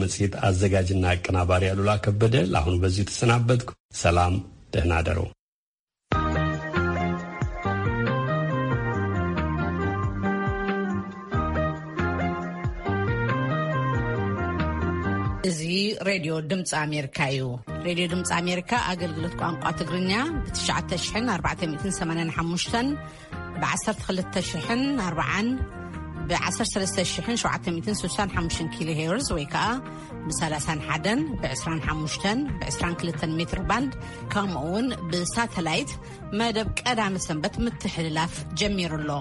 መጽሔት ኣዘጋጅና ኣቀናባሪ ኣሉላ ከበደ፣ ለአሁኑ በዚሁ ተሰናበትኩ። ሰላም፣ ደህና ደሩ። እዚ ሬድዮ ድምፂ ኣሜሪካ እዩ። ሬድዮ ድምፂ ኣሜሪካ ኣገልግሎት ቋንቋ ትግርኛ ብ ትሽዓተ ሽሕን ኣርባዕተ ሚእትን ሰማንያን ሓሙሽተን፣ ብ ዓሰርተ ክልተ ሽሕን ኣርባዓን፣ ብ ዓሰርተ ሰለስተ ሽሕን ሸውዓተ ሚእትን ስሳን ሓሙሽተን ኪሎ ሄርዝ ወይ ከዓ ብ ሰላሳን ሓደን፣ ብ ዕስራን ሓሙሽተን፣ ብ ዕስራን ክልተን ሜትር ባንድ፣ ከምኡ እውን ብሳተላይት መደብ ቀዳመ ሰንበት ምትሕልላፍ ጀሚሩ ኣሎ።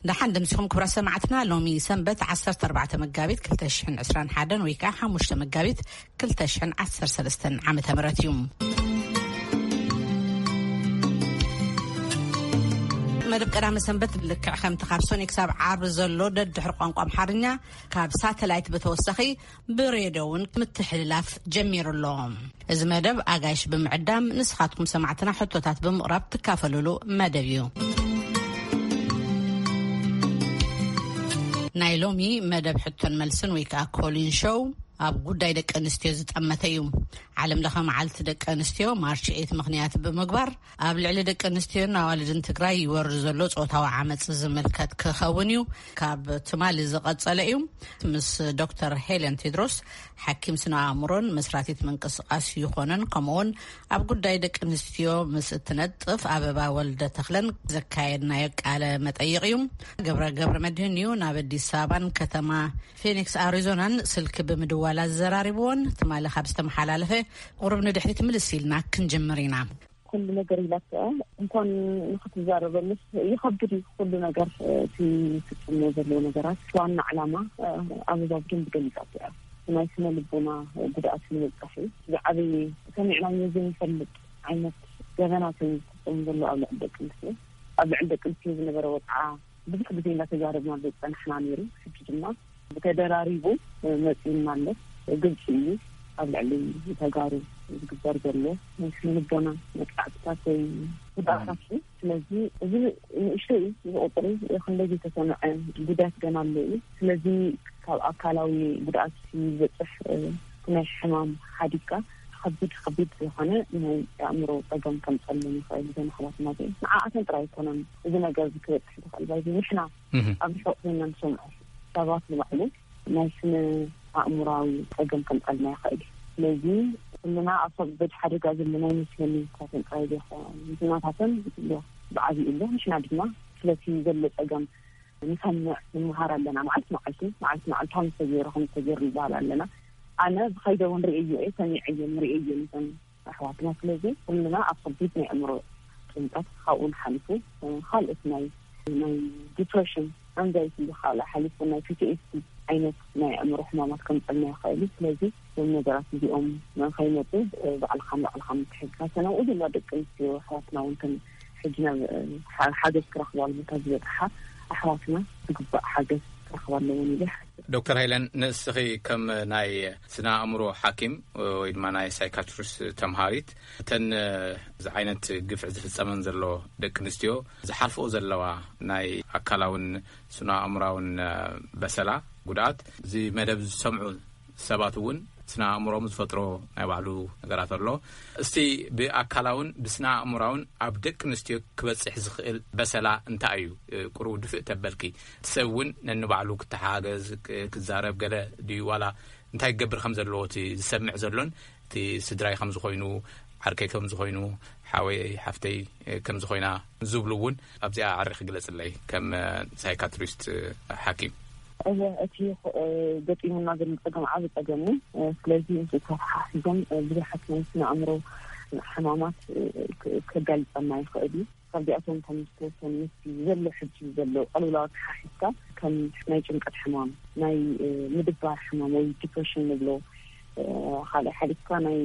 ደሓን ደምሲኹም ክቡራት ሰማዕትና። ሎሚ ሰንበት ዓሰርተ ኣርባዕተ መጋቢት ክልተ ሽሕን ዕስራን ሓደን ወይ ከዓ ሓሙሽተ መጋቢት ክልተ ሽሕን ዓሰርተ ሰለስተን ዓመተ ምህረት እዩ። መደብ ቀዳመ ሰንበት ልክዕ ከምቲ ካብ ሶኒ ክሳብ ዓርቢ ዘሎ ደድሕሪ ቋንቋ ኣምሓርኛ ካብ ሳተላይት ብተወሳኺ ብሬድዮ እውን ምትሕልላፍ ጀሚሩ ኣሎ። እዚ መደብ ኣጋይሽ ብምዕዳም ንስኻትኩም ሰማዕትና ሕቶታት ብምቕራብ ትካፈሉሉ መደብ እዩ። ናይ ሎሚ መደብ ሕቶን መልስን ወይ ከዓ ኮሊን ሾው ኣብ ጉዳይ ደቂ ኣንስትዮ ዝጠመተ እዩ። ዓለም ለኸ መዓልቲ ደቂ ኣንስትዮ ማርች ኤት ምኽንያት ብምግባር ኣብ ልዕሊ ደቂ ኣንስትዮን ኣዋልድን ትግራይ ይወርድ ዘሎ ጾታዊ ዓመፅ ዝምልከት ክኸውን እዩ። ካብ ትማሊ ዝቐጸለ እዩ። ምስ ዶክተር ሄለን ቴድሮስ፣ ሓኪም ስነ ኣእምሮን መስራቲት ምንቅስቃስ ይኾነን፣ ከምኡውን ኣብ ጉዳይ ደቂ ኣንስትዮ ምስ እትነጥፍ ኣበባ ወልደ ተኽለን ዘካየድናዮ ቃለ መጠይቕ እዩ። ገብረ ገብረ መድህን እዩ ናብ ኣዲስ ኣበባን ከተማ ፊኒክስ ኣሪዞናን ስልኪ ብምድዋል ኣዘራሪብዎን ትማሊ ካብ ዝተመሓላለፈ ቁሩብ ንድሕሪት ምልስ ኢልና ክንጅምር ኢና። ኩሉ ነገር ኢላትኣ እንኳን ንክትዛረበሉስ ይኸብድ እዩ። ኩሉ ነገር እቲ ዝፍጽሞ ዘለዎ ነገራት ዋና ዕላማ ኣበባ ብደንብ ገሊጻቶ እያ። ናይ ስነ ልቦና ጉድኣት ንምብጻሕ እዩ። ዝዓበየ ሰሚዕናዮ ዘይንፈልጥ ዓይነት ገበናት እዩ ዝፍጸም ዘሎ ኣብ ልዕሊ ደቂ ኣንስትዮ። ኣብ ልዕሊ ደቂ ኣንስትዮ ዝነበረ ወጽዓ ብዙሕ ግዜ እንዳተዛረብናሉ ዝጸናሕና ነይሩ። ሕጂ ድማ ብተደራሪቡ መጺኡና ኣሎ። ግልጺ እዩ፣ ኣብ ልዕሊ ተጋሩ ዝግበር ዘሎ ናይ ስነ ልቦና መጥቃዕትታት ወይ ጉድኣታት እዩ። ስለዚ እዚ ንእሽቶ እዩ፣ እዚ ቁጽሪ ክንደይ ዘይተሰምዐ ጉዳት ገና ኣሎ እዩ። ስለዚ ካብ ኣካላዊ ጉድኣት ዝበፅሕ ናይ ሕማም ሓዲግካ ከቢድ ከቢድ ዝኾነ ናይ ኣእምሮ ፀገም ከምፀሎም ይኽእል። እዘን ኣሕዋትና እዚአን ንዓኣተን ጥራይ ኣይኮነን እዚ ነገር እዚ ክበፅሕ ዝኽእል። ባይዚ ንሕና ኣብ ርሑቕ ኮይና ንሰምዖ ሰባት ንባዕሉ ናይ ስነ ኣእምራዊ ጸገም ከምጸልና ይኽእል እዩ። ስለዚ ኩልና ኣብ ከቢድ ሓደጋ ዘለና ይመስለኒ። ካብተን ጥራይ ዘይኮነ፣ ናታተን ኣሎ፣ ብዓቢኡ ኣሎ። ንሕና ድማ ስለቲ ዘሎ ጸገም ንሰምዕ፣ ንመሃር ኣለና። መዓልቲ መዓልቲ፣ መዓልቲ መዓልቲ ከም ዝተገይሩ፣ ከም ዝተገይሩ ንበሃል ኣለና። ኣነ ብኸይደ እውን ርእየዮ እየ፣ ሰሚዐዮ፣ ርእየዮ ነተን ኣሕዋትና። ስለዚ ኩልና ኣብ ከቢድ ናይ ኣእምሮ ጭንቀት ካብኡ ንሓሊፉ፣ እ፣ ካልኦት ናይ፣ ናይ ዲፕሬሽን፣ ኣንዛይቲ ካልእ ሓሊፉ ናይ ፒ ቲ ኤስ ዲ ዓይነት ናይ ኣእምሮ ሕማማት ከምጸልና ይኽእል እዩ። ስለዚ እዞም ነገራት እዚኦም ንኸይመጹ፣ እ፣ ባዕልኻ ንባዕልኻ ምትሕግጋዝ፣ ነብኡ ድማ ደቂ ኣንስትዮ ኣሕዋትና እውን ከም ሕጂ ናብ፣ እ፣ ሓ-፣ ሓገዝ ክረኽባሉ ቦታ ዝበጽሓ ኣሕዋትና ዝግባእ ሓገዝ ክረኽባ ኣለወን ኢለ ይሓስብ። ዶክተር ሃይለን፣ ንስኺ ከም ናይ ስነ ኣእምሮ ሓኪም ወይ ድማ ናይ ሳይካትሪስት ተምሃሪት፣ እተን እዚ ዓይነት ግፍዒ ዝፍጸመን ዘሎ ደቂ ኣንስትዮ ዝሓልፍኦ ዘለዋ ናይ ኣካላውን ስነ ኣእምራውን በሰላ ጉድኣት፣ እዚ መደብ ዝሰምዑ ሰባት እውን ስነ ኣእምሮም ዝፈጥሮ ናይ ባዕሉ ነገራት ኣሎ። እስቲ ብኣካላውን ብስነ ኣእምራውን ኣብ ደቂ ኣንስትዮ ክበጽሕ ዝኽእል በሰላ እንታይ እዩ? እ፣ ቁሩብ ድፍእ ተበልኪ፣ እቲ ሰብ እውን ነንባዕሉ ክተሓገዝ፣ ክ-፣ ክዛረብ ገለ ድዩ? ዋላ እንታይ ክገብር ከም ዘለዎ እቲ ዝሰምዕ ዘሎን እቲ ስድራይ ከም ዝኾይኑ፣ ዓርከይ ከም ዝኾይኑ፣ ሓወይ ሓፍተይ፣ እ፣ ከም ዝኾይና ዝብሉ እውን ኣብዚኣ ኣዕሪኺ ግለጽለይ ከም፣ እ፣ ሳይካትሪስት፣ እ፣ ሓኪም። እወ፣ እቲ፣ እ፣ ገጢሙና ዘሎ ጸገም ዓቢ ጸገም እዩ። እ፣ ስለዚ ምስኡ ተተሓሒዞም፣ እ፣ ብዙሓት ናይ ስነ ኣእምሮ ሕማማት፣ እ፣ ክ-፣ ከጋልጸና ይኽእል እዩ። ካብዚኣቶም ከም ዝተወሰኑ ምስቲ ዘሎ ሕጂ ዘሎ ቅልውላው ኣተሓሒዝካ ከም ናይ ጭንቀት ሕማም፣ ናይ፣ እ፣ ምድባር ሕማም ወይ ዲፕሬሽን ንብሎ፣ እ፣ ካልእ ሓሊፍካ ናይ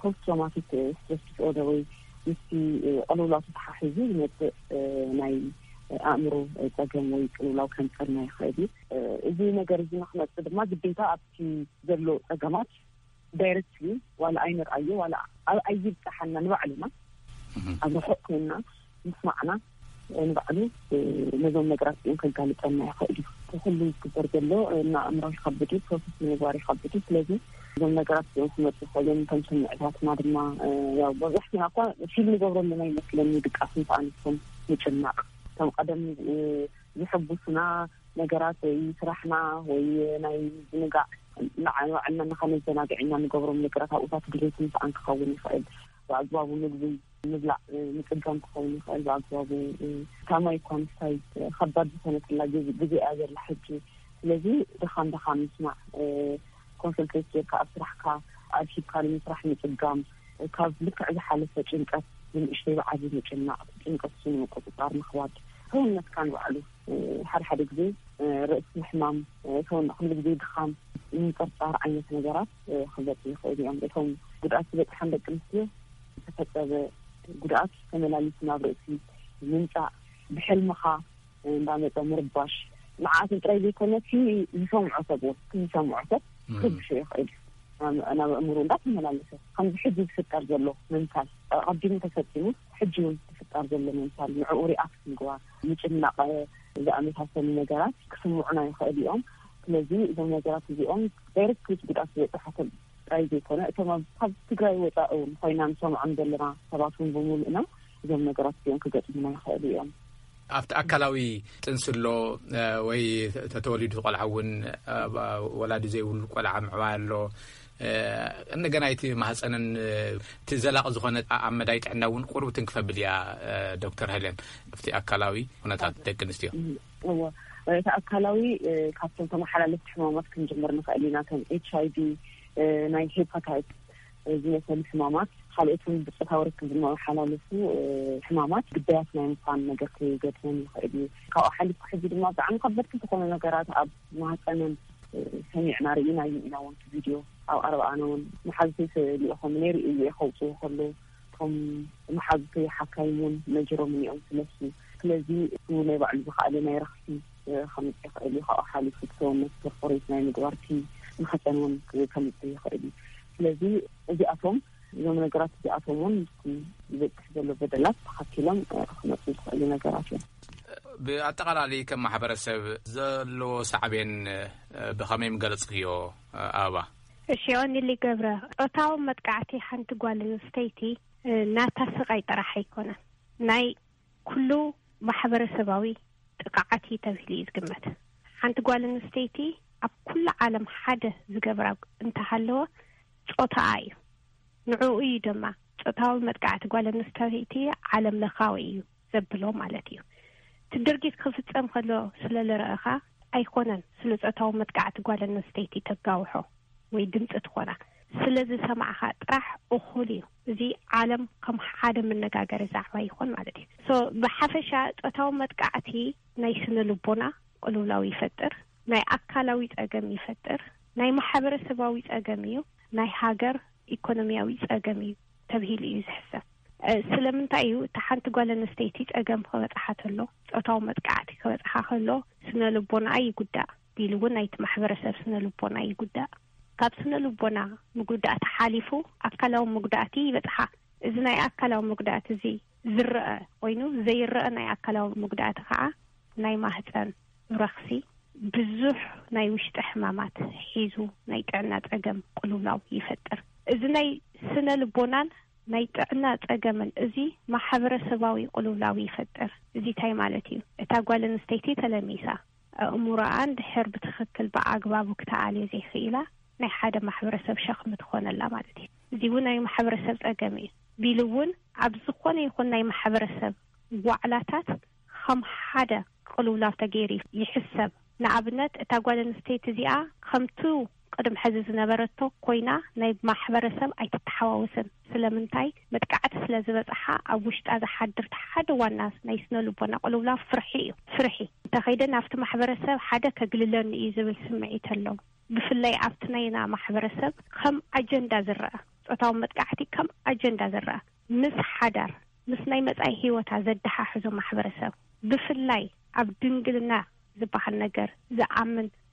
ፖስት ትራውማቲክ ስትረስ ዲስኦርደር ወይ ምስቲ፣ እ፣ ቅልውላው ተተሓሒዙ ዝመጽእ፣ እ፣ ናይ ኣእምሮ ጸገም ወይ ቅልውላው ከምጸልና ይኽእል እዩ። እ፣ እዚ ነገር እዚ ንክመጽእ ድማ ግዴታ ኣብቲ ዘሎ ጸገማት ዳይረክትሊ ዋላ ኣይንርኣዮ፣ ዋላ ኣብ ኣይብጻሓና ንባዕልና ኣብ ርሑቕ ኮይንና ምስማዕና ንባዕሉ ነዞም ነገራት እዚኦም ከጋልጠና ይኽእል እዩ። ኩሉ ዝግበር ዘሎ እና ኣእምሮ ይኸብድ እዩ፣ ፕሮሰስ ንምግባር ይኸብድ እዩ። ስለዚ እዞም ነገራት እዚኦም ክመፁ ይኽእሉ እዮም። ከም ስምዕታትና ድማ ያው መብዛሕትና እኳ ፊል ንገብረሎም ኣይመስለኒ፣ ድቃስ ምስ ኣንስቶም ምጭናቕ፣ ከም ቀደም ዝሕጉስና ነገራት ወይ ስራሕና ወይ ናይ ዝንጋዕ ንዓ- ንባዕልና ንኸነዘናግዕ ኢና ንገብሮም ነገራት ኣብኡታት ድሌት ምስኣን ክኸውን ይኽእል። ብኣግባቡ ምግቢ ምብላዕ ምፅጋም ክኸውን ይኽእል። ብኣግባቡ ታማይ እኳ ምስታይ ከባድ ዝኾነትላ ግዜ እያ ዘላ ሕጂ። ስለዚ ድኻም ድኻም ምስማዕ፣ ኮንሰንትሬት ጌርካ ኣብ ስራሕካ ኣድሂብካ ንምስራሕ ምፅጋም፣ ካብ ልክዕ ዝሓለፈ ጭንቀት ብንእሽተይ ብዓቢ ምጭናቕ፣ ጭንቀት እሱ ንምቁፅፃር ምኽባድ፣ ሰውነትካ ንባዕሉ ሓደ ሓደ ግዜ ርእሲ ምሕማም፣ ሰውነ ኩሉ ግዜ ድኻም፣ ምንፅርፃር ዓይነት ነገራት ክመፁ ይኽእሉ እዮም። እቶም ጉድኣት ዝበፅሐን ደቂ ኣንስትዮ ዝተፈፀመ ጉድኣት ተመላሊሱ ናብ ርእሲ ምምፃእ፣ ብሕልምኻ እንዳመፀ ምርባሽ፣ ንዓኣትን ጥራይ ዘይኮነ እቲ ዝሰምዖ ሰብ እውን፣ እቲ ዝሰምዖ ሰብ ክርብሾ ይኽእል እዩ። ናብ ኣእምሮ እንዳተመላለሰ ከምዚ ሕጂ ዝፍጠር ዘሎ ምምሳል፣ ኣቐዲሙ ተፈፂሙ ሕጂ እውን ዝፍጠር ዘሎ ምምሳል፣ ንዕኡ ሪኣክት ምግባር፣ ምጭናቕ ዝኣመሳሰሉ ነገራት ክስምዑና ይኽእል እዮም። ስለዚ እዞም ነገራት እዚኦም ዳይሬክት ጉድኣት ዝበፅሖ ሰብ ጥራይ ዘይኮነ እቶም ኣብ ካብ ትግራይ ወፃኢ እውን ኮይና ንሰምዖም ዘለና ሰባት እውን ብምሉእና እዞም ነገራት እዚኦም ክገጥሙና ይኽእሉ እዮም። ኣብቲ ኣካላዊ ጥንሲ ኣሎ ወይ ተተወሊዱ ቆልዓ እውን ወላዲ ዘይብሉ ቆልዓ ምዕባይ ኣሎ። እንደገና እቲ ማህፀንን እቲ ዘላቂ ዝኾነ ኣብ መዳይ ጥዕና እውን ቁሩብ ትንክፈብል እያ። ዶክተር ሄለን ኣብቲ ኣካላዊ ኩነታት ደቂ ኣንስትዮ እዎ እቲ ኣካላዊ ካብቶም ተመሓላለፍቲ ሕማማት ክንጅምር ንኽእል ኢና። ከም ኤች ኣይ ቪ፣ ናይ ሄፓታይት ዝመሰሉ ሕማማት፣ ካልኦትን ብፆታዊ ርክብ ዝመሓላለፉ ሕማማት ግዳያት ናይ ምዃን ነገር ክገጥሞም ይኽእል እዩ። ካብኡ ሓሊፉ ሕዚ ድማ ብጣዕሚ ከበድቲ ዝኾኑ ነገራት ኣብ ማህፀንን ሰሚዕና ርኢና እዩ ኢና። እውን ቪድዮ ኣብ ኣርባኣና እውን መሓዝተይ ልኢኾም ነይሩ እዩ ከውፅኡ ከለዉ እቶም መሓዝተይ ሓካይም እውን ነጅሮም እዮም ስለሱ። ስለዚ እሱ ናይ ባዕሉ ዝኸኣለ ናይ ረኽሲ ከምፅእ ይኽእል እዩ። ካብኡ ሓሊፉ ሰውነት ፐርፎሬት ናይ ምግባርቲ ማህፀን እውን ከምፅእ ይኽእል እዩ። ስለዚ እዚኣቶም እዞም ነገራት እዚኣቶም እውን ዝበፅሕ ዘሎ በደላት ተኸቲሎም ክመፁ ዝኽእሉ ነገራት እዮም። ብኣጠቓላሊ ከም ማሕበረሰብ ዘለዎ ሳዕቤን ብኸመይ ምገለፅክዮ? ኣበባ እሺ፣ ኦኒሊ ገብረ፣ ጾታዊ መጥቃዕቲ ሓንቲ ጓል ኣንስተይቲ ናታ ስቓይ ጥራሕ ኣይኮነን፣ ናይ ኩሉ ማሕበረሰባዊ ጥቕዓት እዩ ተባሂሉ እዩ ዝግመት። ሓንቲ ጓል ኣንስተይቲ ኣብ ኩሉ ዓለም ሓደ ዝገብራ እንተሃለወ ጾታኣ እዩ። ንዕኡ እዩ ድማ ጾታዊ መጥቃዕቲ ጓል ኣንስተይቲ ዓለም ለኻዊ እዩ ዘብሎ ማለት እዩ። እቲ ድርጊት ክፍጸም ከሎ ስለ ዝረኣኻ ኣይኮነን ስለ ጾታዊ መጥቃዕቲ ጓል ኣንስተይቲ ተጋውሖ ወይ ድምጺ ትኾና። ስለ ዝሰማዕኻ ጥራሕ እኹል እዩ። እዚ ዓለም ከም ሓደ መነጋገሪ ዛዕባ ይኾን ማለት እዩ። ሶ ብሓፈሻ ጾታዊ መጥቃዕቲ ናይ ስነ ልቦና ቅልውላው ይፈጥር፣ ናይ ኣካላዊ ጸገም ይፈጥር፣ ናይ ማሕበረሰባዊ ጸገም እዩ፣ ናይ ሃገር ኢኮኖሚያዊ ጸገም እዩ ተብሂሉ እዩ ዝሕሰብ። ስለምንታይ እዩ እቲ ሓንቲ ጓል ኣንስተይቲ ጸገም ክበጽሓ ተሎ፣ ጾታዊ መጥቃዕቲ ክበጽሓ ከሎ ስነ ልቦናኣ ይጉዳእ፣ ቢሉ እውን ናይቲ ማሕበረሰብ ስነ ልቦና ይጉዳእ። ካብ ስነ ልቦና ምጉዳእ ተሓሊፉ ኣካላዊ መጉዳእቲ ይበጽሓ። እዚ ናይ ኣካላዊ መጉዳእቲ እዚ ዝረአ ኮይኑ ዘይረአ ናይ ኣካላዊ መጉዳእቲ ከዓ ናይ ማህፀን ረኽሲ፣ ብዙሕ ናይ ውሽጢ ሕማማት ሒዙ ናይ ጥዕና ጸገም ቅልውላው ይፈጥር። እዚ ናይ ስነ ልቦናን ናይ ጥዕና ጸገምን እዚ ማሕበረሰባዊ ቅልውላው ይፈጥር። እዚ እንታይ ማለት እዩ? እታ ጓል ኣንስተይቲ ተለሚሳ ኣእምሮኣ እንድሕር ብትኽክል ብኣግባቡ ክተኣልዮ ዘይኽኢላ ናይ ሓደ ማሕበረሰብ ሸኽሚ ትኾነላ ማለት እዩ። እዚ እውን ናይ ማሕበረሰብ ጸገም እዩ። ቢሉ እውን ኣብ ዝኾነ ይኹን ናይ ማሕበረሰብ ዋዕላታት ከም ሓደ ቅልውላው ተገይሩ ይሕሰብ። ንኣብነት እታ ጓል ኣንስተይቲ እዚኣ ከምቱ ቅድም ሕዚ ዝነበረቶ ኮይና ናይ ማሕበረሰብ ኣይትተሓዋወስን። ስለምንታይ? መጥቃዕቲ ስለ ዝበፅሓ ኣብ ውሽጣ ዝሓድር ሓደ ዋና ናይ ስነ ልቦና ቅልውላው ፍርሒ እዩ። ፍርሒ እንተኸይደ ናብቲ ማሕበረሰብ ሓደ ከግልለኒ እዩ ዝብል ስምዒት ኣለዎ። ብፍላይ ኣብቲ ናይና ማሕበረሰብ ከም ኣጀንዳ ዝረኣ፣ ጾታዊ መጥቃዕቲ ከም ኣጀንዳ ዝረኣ፣ ምስ ሓዳር፣ ምስ ናይ መጻኢ ህይወታ ዘደሓሕዞ ማሕበረሰብ፣ ብፍላይ ኣብ ድንግልና ዝበሃል ነገር ዝኣምን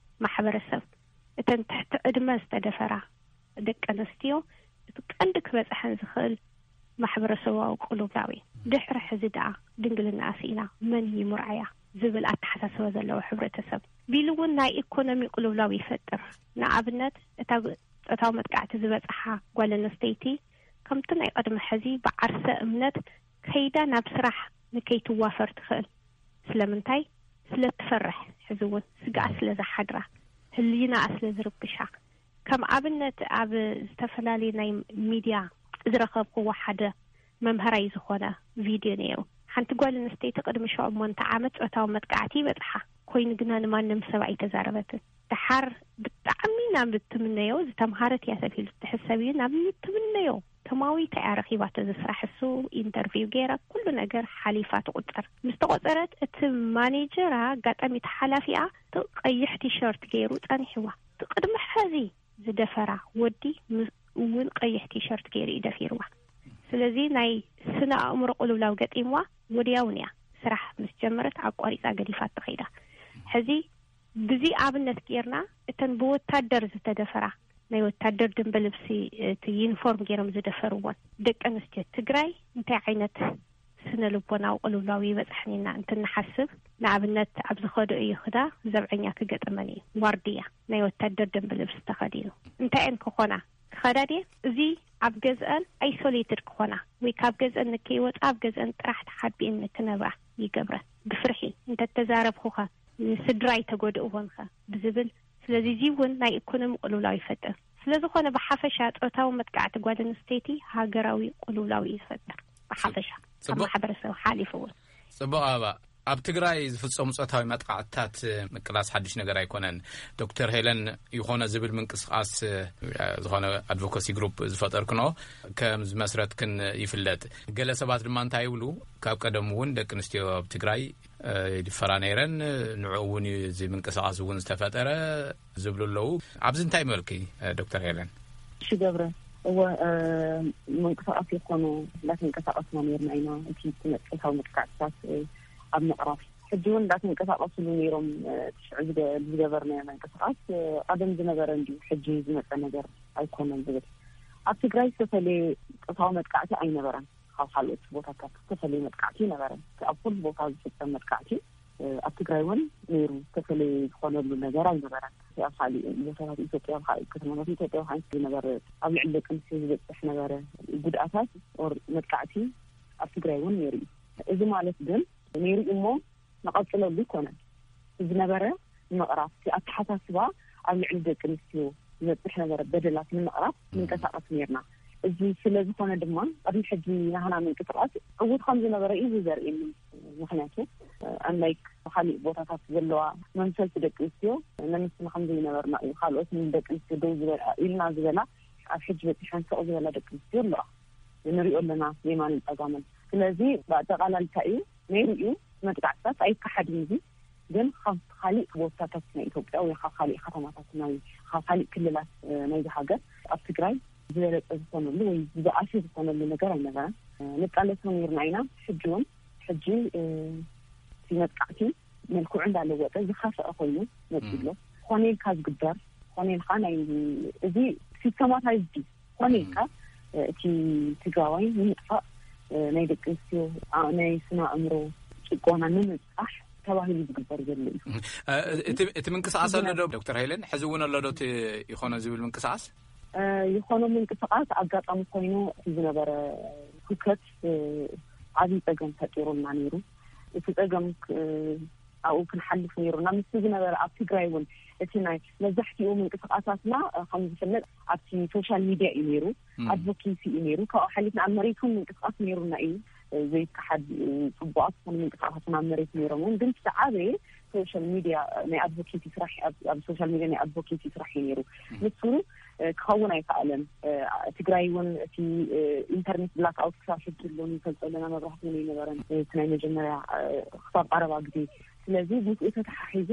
ማሕበረሰብ፣ እተን ትሕቲ ዕድመ ዝተደፈራ ደቂ ኣንስትዮ እቲ ቀንዲ ክበጽሐን ዝኽእል ማሕበረሰባዊ ቅልውላው እዩ። ድሕሪ ሕዚ ደኣ ድንግልና ኣስኢና መን ይምርዓያ ዝብል ኣተሓሳስባ ዘለዎ ሕብረተሰብ። ቢሉ እውን ናይ ኢኮኖሚ ቅልውላው ይፈጥር። ንኣብነት፣ እታ ብ-፣ ጾታዊ መጥቃዕቲ ዝበጽሓ ጓል ኣንስተይቲ ከምቲ ናይ ቅድሚ ሕዚ ብዓርሰ እምነት ከይዳ ናብ ስራሕ ንከይትዋፈር ትኽእል። ስለምንታይ? ስለ ትፈርሕ፣ ሕዚ እውን ስግኣት ስለ ዝሓድራ፣ ህሊናኣ ስለ ዝርብሻ። ከም ኣብነት፣ ኣብ ዝተፈላለዩ ናይ ሚድያ ዝረኸብክዎ ሓደ መምሃራይ ዝኾነ ቪድዮ ነይሩ። ሓንቲ ጓል ኣንስተይቲ ቅድሚ ሸሞንተ ዓመት ጾታዊ መጥቃዕቲ ይበጽሓ ኮይኑ ግና ንማንም ሰብ ኣይተዛረበትን። ደሓር ብጣዕሚ ናብ እትምነዮ፣ ዝተምሃረት እያ ተባሂሉ እትሕሰብ እዩ፣ ናብ እትምነዮ ተማዊታ እያ ረኺባቶ። እዚ ስራሕ እሱ ኢንተርቪው ገይራ፣ ኩሉ ነገር ሓሊፋ ትቑጸር። ምስ ተቖጸረት፣ እቲ ማኔጀራ፣ ኣጋጣሚ እቲ ሓላፊኣ፣ እቲ ቀይሕ ቲሸርት ገይሩ ጸኒሕዋ። እቲ ቅድሚ ሕዚ ዝደፈራ ወዲ ም-፣ እውን ቀይሕ ቲሸርት ገይሩ እዩ ደፊርዋ። ስለዚ ናይ ስነ ኣእምሮ ቅልውላው ገጢምዋ፣ ወዲያውን እያ ስራሕ ምስ ጀመረት ኣቋሪጻ ገዲፋቶ ከይዳ። ሕዚ ብዚ ኣብነት ጌርና፣ እተን ብወታደር ዝተደፈራ፣ ናይ ወታደር ደንበ ልብሲ፣ እቲ ዩኒፎርም ገይሮም ዝደፈርወን ደቂ ኣንስትዮ ትግራይ እንታይ ዓይነት ስነ ልቦናዊ ቅልውላው ይበጽሐን ኢና እንትንሓስብ፣ ንኣብነት፣ ኣብ ዝኸደኦ ይኽዳ ዘብዐኛ ክገጥመን እዩ። ዋርድያ ናይ ወታደር ደንበ ልብሲ ተኸዲኑ። እንታይ እየን ክኾና? ክኸዳ ድየን? እዚ ኣብ ገዝአን ኣይሶሌትድ ክኾና ወይ ካብ ገዝአን ንከይወጻ ኣብ ገዝአን ጥራሕ ተሓቢእን ንክነብራ ይገብረን። ብፍርሒ፣ እንተተዛረብኹኸ ንስድራይ ተጎድእዎንኸ ብዝብል። ስለዚ እዚ እውን ናይ ኢኮኖሚ ቅልውላው ይፈጥር። ስለ ዝኾነ ብሓፈሻ ጾታዊ መጥቃዕቲ ጓል ኣንስተይቲ ሃገራዊ ቅልውላው እዩ ዝፈጥር። ብሓፈሻ ካብ ጽቡቕ። ማሕበረሰብ ሓሊፉ እውን። ጽቡቕ ኣበባ፣ ኣብ ትግራይ ዝፍጸሙ ጾታዊ መጥቃዕትታት ምቅላስ ሓድሽ ነገር ኣይኮነን። ዶክተር ሄለን፣ ይኾነ ዝብል ምንቅስቃስ፣ ዝኾነ ኣድቮካሲ ግሩፕ ዝፈጠርክኖ ከም ዝመስረትክን ይፍለጥ። ገለ ሰባት ድማ እንታይ ይብሉ፣ ካብ ቀደም እውን ደቂ ኣንስትዮ ኣብ ትግራይ ይድፈራ ነይረን፣ ንዕኡ እውን እዩ እዚ ምንቅስቃስ እውን ዝተፈጠረ ዝብሉ ኣለዉ። ኣብዚ እንታይ መልኪ፣ ዶክተር ሄለን? እሺ ገብረ፣ እወ፣ እ፣ ምንቅስቃስ ይኾኑ እንዳተንቀሳቀስና ነይርና ኢና። እቲ ስነ ጾታዊ መጥቃዕትታት፣ እ፣ ኣብ ምቕራፍ ሕጂ እውን እንዳተንቀሳቀስሉ ነይሮም። እ፣ ትሽዑ ዝገ-፣ ዝገበርናዮ ምንቅስቃስ፣ እ፣ ቀደም ዝነበረ እንዲዩ፣ ሕጂ ዝመጸ ነገር ኣይኮነን ዝብል። ኣብ ትግራይ ዝተፈለየ ጾታዊ መጥቃዕቲ ኣይነበረን። ካብ ካልኦት ቦታታት ዝተፈለየ መጥቃዕቲ ኣይነበረን። እቲ ኣብ ኩሉ ቦታ ዝፍጸም መጥቃዕቲ፣ እ፣ ኣብ ትግራይ እውን ነይሩ። ዝተፈለየ ዝኾነሉ ነገር ኣይነበረን። እቲ ኣብ ካልእ ቦታታት ኢትዮጵያ፣ ኣብ ካልእ ከተማታት ኢትዮጵያ፣ ኣብ ሓንቲ ዝነበረ ኣብ ልዕሊ ደቂ ኣንስትዮ ዝበፅሕ ነበረ ጉድኣታት ኦር መጥቃዕቲ ኣብ ትግራይ እውን ነይሩ እዩ። እዚ ማለት ግን ነይሩ እዩ እሞ ንቐፅለሉ ኣይኮነን። ዝነበረ ንምቕራፍ፣ እቲ ኣተሓሳስባ ኣብ ልዕሊ ደቂ ኣንስትዮ ዝበፅሕ ነበረ በደላት ንምቕራፍ ምንቀሳቐስ ነይርና። እዚ ስለ ዝኾነ ድማ፣ ቅድሚ ሕጂ ናህና ምንቅስቓስ ዕዉት ከም ዝነበረ እዩ ዘርእየኒ። ምኽንያቱ፣ ኣንላይክ ካልእ ቦታታት ዘለዋ መምሰልቲ ደቂ ኣንስትዮ፣ ነንስና ከም ዘይነበርና እዩ። ካልኦት ንደቂ ኣንስትዮ ደው ዝበላ፣ ኢልና ዝበላ፣ ኣብ ሕጂ በፂሐን ስቕ ዝበላ ደቂ ኣንስትዮ ኣለዋ። ንሪኦ ኣለና የማንን ጸጋምን። ስለዚ፣ ብኣጠቓላሊ እንታይ እዩ? ነይሩ እዩ፣ መጥቃዕትታት ኣይከሓድን እዩ። ግን ካብ ካልእ ቦታታት ናይ ኢትዮጵያ ወይ ካብ ካልእ ከተማታት ናይ፣ ካብ ካልእ ክልላት፣ እ፣ ናይዚ ሃገር ኣብ ትግራይ ዝበለጸ ዝኾነሉ ወይ ዝበኣሰ ዝኾነሉ ነገር ኣይነበረን። እ፣ ንቃለሶ ነይርና ኢና። ሕጂ እውን፣ ሕጂ፣ እ፣ እቲ መጥቃዕቲ መልክዑ እንዳለወጠ ዝኸፍአ ኮይኑ መጺኡ ኣሎ። ኮነ ኢልካ ዝግበር፣ ኮነ ኢልካ ናይ፣ እዚ ሲስተማታይዝድ እዩ። ኮነ ኢልካ፣ እ፣ እቲ ትግራዋይ ንምጥፋእ፣ እ፣ ናይ ደቂ ኣንስትዮ፣ ኣ-፣ ናይ ስነ ኣእምሮ ጭቆና ንምብጻሕ ተባሂሉ ዝግበር ዘሎ እዩ። እ፣ እቲ፣ እቲ ምንቅስቃስ ኣሎ ዶ፣ ዶክተር ሃይለን? ሕዚ እውን ኣሎ ዶ እቲ ይኾኖ ዝብል ምንቅስቃስ? እ፣ ይኾኖ ምንቅስቃስ ኣጋጣሚ ኮይኑ እቲ ዝነበረ ሁከት፣ እ፣ ዓብዪ ጸገም ፈጢሩልና ነይሩ። እቲ ጸገም ክ-፣ ኣብኡ ክንሓልፍ ነይሩና። ምስቲ ዝነበረ ኣብ ትግራይ እውን እቲ ናይ መብዛሕትኡ ምንቅስቃሳትና፣ እ፣ ከም ዝፍለጥ ኣብቲ ሶሻል ሚድያ እዩ ነይሩ፣ ም። ኣድቮኬሲ እዩ ነይሩ። ካብኡ ሓሊፍና ኣብ መሬት እውን ምንቅስቃስ ነይሩና እዩ፣ እ፣ ዘይከሓድ እዩ። ጽቡቓት ዝኾኑ ምንቅስቃሳት ኣብ መሬት ነይሮም እውን፣ ግን እቲ ዝዓበየ ሶሻል ሚድያ፣ እ፣ ናይ ኣድቮኬሲ ስራሕ፣ ኣብ፣ ኣብ ሶሻል ሚድያ ናይ ኣድቮኬሲ ስራሕ እዩ ነይሩ። ም። ንሱ፣ እ፣ ክኸውን ኣይከኣለን። እ፣ ትግራይ እውን እቲ፣ እ፣ ኢንተርኔት ብላክ ኣውት ክሳብ ሕጂ ኣሎ፣ ንፈልጦ ኣለና፣ መብራህቲ እውን ኣይነበረን። እ፣ እቲ ናይ መጀመርያ፣ እ፣ ክሳብ ቀረባ ግዜ። ስለዚ ምስኡ ተተሓሒዙ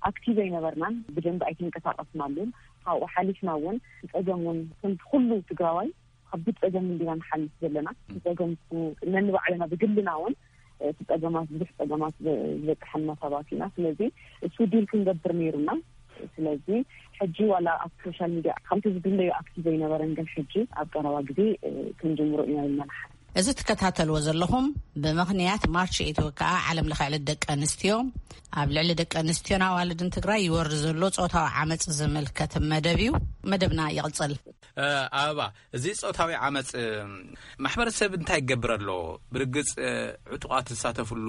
ኣክቲቭ ኣይነበርናን፣ ብደንቢ ኣይተንቀሳቀስናሉን። ካብኡ ሓሊፍና እውን ጸገም እውን ከምቲ ኩሉ ትግራዋይ ከቢድ ጸገም እንዲና ንሓልፍ ዘለና። ጸገም እሱ ነንባዕልና ብግልና እውን እቲ ጸገማት፣ ብዙሕ ጸገማት ዘ-፣ ዝበጽሐና ሰባት ኢና። ስለዚ እሱ ዲል ክንገብር ነይሩና። ስለዚ ሕጂ ዋላ ኣብ ሶሻል ሚድያ ከምቲ ዝድለዩ ኣክቲቭ ኣይነበረን፣ ግን ሕጂ ኣብ ቀረባ ግዜ፣ እ፣ ክንጅምሮ ኢና ኢልና ንሓስብ። እዚ ትከታተልዎ ዘለኹም ብምኽንያት ማርች ኤይት ወይ ከዓ ዓለም ለኸ ዕለት ደቂ ኣንስትዮ፣ ኣብ ልዕሊ ደቂ ኣንስትዮን ኣዋልድን ትግራይ ይወርድ ዘሎ ጾታዊ ዓመጽ ዝምልከት መደብ እዩ። መደብና ይቕጽል። እ፣ ኣበባ፣ እዚ ጾታዊ ዓመጽ፣ እ፣ ማሕበረሰብ እንታይ ይገብር ኣሎ? ብርግጽ፣ እ፣ ዕጡቓት ዝሳተፍሉ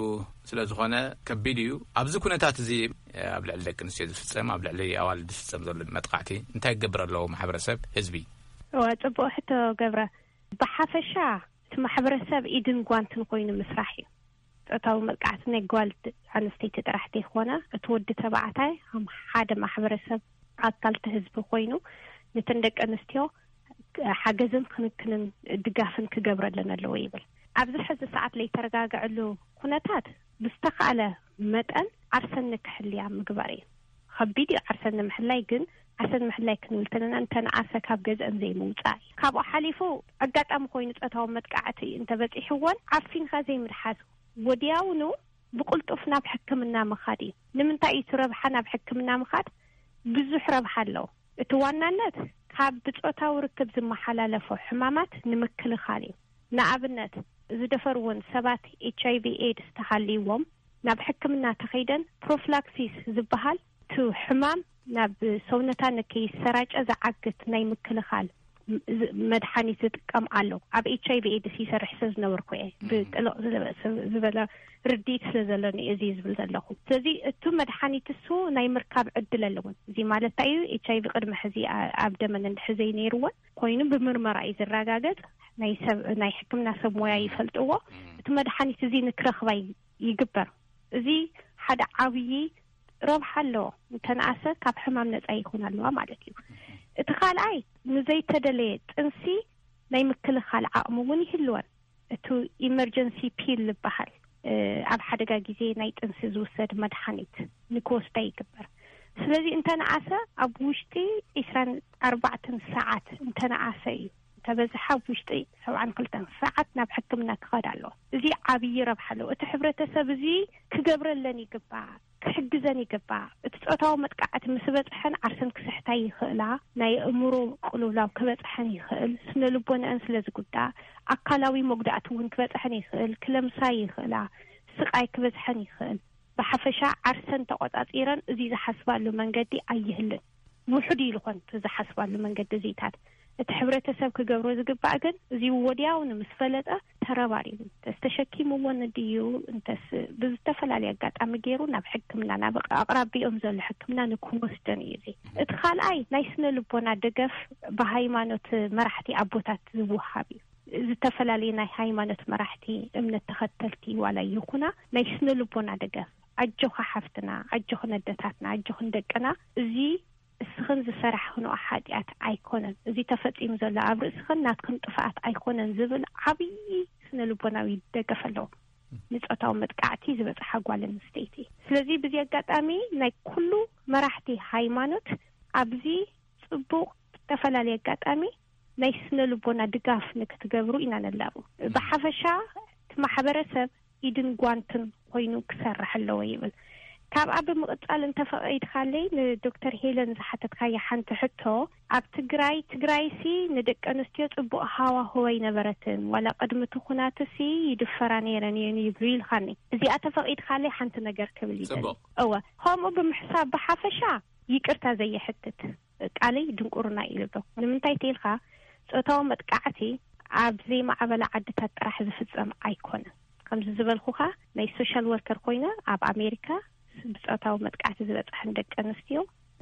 ስለ ዝኾነ ከቢድ እዩ። ኣብዚ ኩነታት እዚ፣ እ፣ ኣብ ልዕሊ ደቂ ኣንስትዮ ዝፍጸም፣ ኣብ ልዕሊ ኣዋልድ ዝፍጸም ዘሎ መጥቃዕቲ እንታይ ይገብር ኣሎ ማሕበረሰብ፣ ህዝቢ? እዋ፣ ጽቡቕ ሕቶ ገብረ። ብሓፈሻ እቲ ማሕበረሰብ ኢድን ጓንትን ኮይኑ ምስራሕ እዩ። ጾታዊ መጥቃዕቲ ናይ ጓል ኣንስተይቲ ጥራሕ ዘይኮነ፣ እቲ ወዲ ተባዕታይ ከም ሓደ ማሕበረሰብ ኣካልቲ ህዝቢ ኮይኑ ነተን ደቂ ኣንስትዮ ሓገዝን ክንክንን ድጋፍን ክገብረለን ኣለዎ ይብል። ኣብዚ ሕዚ ሰዓት ለይተረጋግዐሉ ኩነታት ብዝተኻእለ መጠን ዓርሰን ንክሕልያ ምግባር እዩ። ከቢድ እዩ ዓርሰን ንምሕላይ፣ ግን ዓርሰን ምሕላይ ክንብል ተለና እንተነኣሰ ካብ ገዝአን ዘይምውፃእ እዩ። ካብኡ ሓሊፉ ኣጋጣሚ ኮይኑ ጾታዊ መጥቃዕቲ እንተበፂሕወን ዓፊንካ ዘይምድሓዝ፣ ወዲያውኑ ብቕልጡፍ ናብ ሕክምና ምኻድ እዩ። ንምንታይ እዩ እቲ ረብሓ ናብ ሕክምና ምኻድ? ብዙሕ ረብሓ ኣለዎ። እቲ ዋናነት ካብ ብጾታዊ ርክብ ዝመሓላለፉ ሕማማት ንምክልኻል እዩ። ንኣብነት ዝደፈርዎን ሰባት ኤች ኣይ ቪ ኤድስ ተሃልይዎም ናብ ሕክምና ተኸይደን ፕሮፍላክሲስ ዝበሃል እቲ ሕማም ናብ ሰውነታ ንከይሰራጨ ዝዓግት ናይ ምክልኻል ዝ-፣ መድሓኒት ዝጥቀም ኣሎ። ኣብ ኤች ኣይ ቪ ኤድስ ይሰርሕ ስለ ዝነበርኩ እየ። ብጥልቕ ዝለ-፣ ስብ-፣ ዝበለ ርድኢት ስለ ዘለኒ እዚ ዝብል ዘለኹ። ስለዚ እቲ መድሓኒት እሱ ናይ ምርካብ ዕድል ኣለዎን። እዚ ማለት እንታይ እዩ? ኤች ኣይ ቪ ቅድሚ ሕዚ ኣ-፣ ኣብ ደመን እንድሕር ዘይነይርዎን ኮይኑ ብምርመራ እዩ ዝረጋገጽ። ናይ ሰብ፣ ናይ ሕክምና ሰብ ሞያ ይፈልጥዎ። እቲ መድሓኒት እዚ ንክረኽባ ይ-፣ ይግበር። እዚ ሓደ ዓብዪ ረብሓ ኣለዎ። እንተነኣሰ ካብ ሕማም ነጻ ይኾን ኣለዋ ማለት እዩ። እቲ ካልኣይ ንዘይተደለየ ጥንሲ ናይ ምክልኻል ዓቕሚ እውን ይህልወን። እቲ ኢመርጀንሲ ፒል ዝበሃል፣ እ፣ ኣብ ሓደጋ ግዜ ናይ ጥንሲ ዝውሰድ መድሓኒት ንክወስዳ ይግበር። ስለዚ እንተነኣሰ ኣብ ውሽጢ ዒስራን ኣርባዕተን ሰዓት እንተነኣሰ እዩ። እንተበዝሓ ኣብ ውሽጢ ሰብዓን ክልተን ሰዓት ናብ ሕክምና ክኸድ ኣለዎ። እዚ ዓብዪ ረብሓ ኣለዎ። እቲ ሕብረተሰብ እዚ ክገብረለን ይግባእ፣ ክሕግዘን ይግባእ። እቲ ጾታዊ መጥቃዕቲ ምስ በጽሐን ዓርሰን ክስሕታ ይኽእላ፣ ናይ ኣእምሮ ቅልውላው ክበጽሐን ይኽእል፣ ስነ ልቦናአን ስለ ዝጉዳእ፣ ኣካላዊ መጉዳእቲ እውን ክበጽሐን ይኽእል፣ ክለምሳ ይኽእላ፣ ስቓይ ክበጽሐን ይኽእል። ብሓፈሻ ዓርሰን ተቖጻጺረን እዚ ዝሓስባሉ መንገዲ ኣይህልን። ውሑድ እዩ ዝኾን እቲ ዝሓስባሉ መንገዲ እዚታት። እቲ ሕብረተሰብ ክገብሮ ዝግባእ ግን እዚ ወዲያውኑ ምስ ፈለጠ ተረባሪቡ፣ እንተስ ተሸኪምዎ ንድዩ፣ እንተስ ብዝተፈላለየ ኣጋጣሚ ገይሩ ናብ ሕክምና፣ ናብ ኣቕራቢኦም ዘሎ ሕክምና ንክወስደን እዩ። እዚ እቲ ካልኣይ ናይ ስነ ልቦና ደገፍ ብሃይማኖት መራሕቲ ኣቦታት ዝወሃብ እዩ። ዝተፈላለዩ ናይ ሃይማኖት መራሕቲ፣ እምነት ተኸተልቲ ዋላ ይኹና፣ ናይ ስነ ልቦና ደገፍ፣ ኣጆኻ ሓፍትና፣ ኣጆኽን ኣደታትና፣ ኣጆኽን ደቅና፣ እዚ እስኽን ዝሰራሕኽንኦ ሓጢኣት ኣይኮነን፣ እዚ ተፈጺሙ ዘሎ ኣብ ርእስኽን ናትክን ጥፍኣት ኣይኮነን ዝብል ዓብዪ ስነ ልቦናዊ ደገፍ ኣለዎ ንጾታዊ መጥቃዕቲ ዝበጽሓ ጓል ኣንስተይቲ። ስለዚ በዚ ኣጋጣሚ ናይ ኩሉ መራሕቲ ሃይማኖት ኣብዚ ጽቡቕ፣ ብዝተፈላለየ ኣጋጣሚ ናይ ስነ ልቦና ድጋፍ ንክትገብሩ ኢና ነላቡ። ብሓፈሻ እቲ ማሕበረሰብ ኢድን ጓንትን ኮይኑ ክሰርሕ ኣለዎ ይብል። ካብኣ ብምቕጻል እንተፈቒድካለይ ንዶክተር ሄለን ዝሓተትካያ ሓንቲ ሕቶ፣ ኣብ ትግራይ፣ ትግራይሲ ንደቂ ኣንስትዮ ጽቡቕ ሃዋህው ኣይነበረትን፣ ዋላ ቅድሚ እቲ ኩናትሲ ይድፈራ ነይረን እየን ይብሉ ኢልካኒ። እዚኣ ተፈቒድካለይ ሓንቲ ነገር ክብል ይደሊ። ጽቡቕ። እወ፣ ከምኡ ብምሕሳብ ብሓፈሻ ይቅርታ ዘየሕትት ቃለይ ድንቁርና እዩ ልብሎ። ንምንታይ ተይልካ ጾታዊ መጥቃዕቲ ኣብ ዘይማዕበላ ዓድታት ጥራሕ ዝፍጸም ኣይኮነን። ከምዚ ዝበልኩኻ ናይ ሶሻል ወርከር ኮይነ ኣብ ኣሜሪካ ብጾታዊ መጥቃዕቲ ዝበጽሐን ደቂ ኣንስትዮ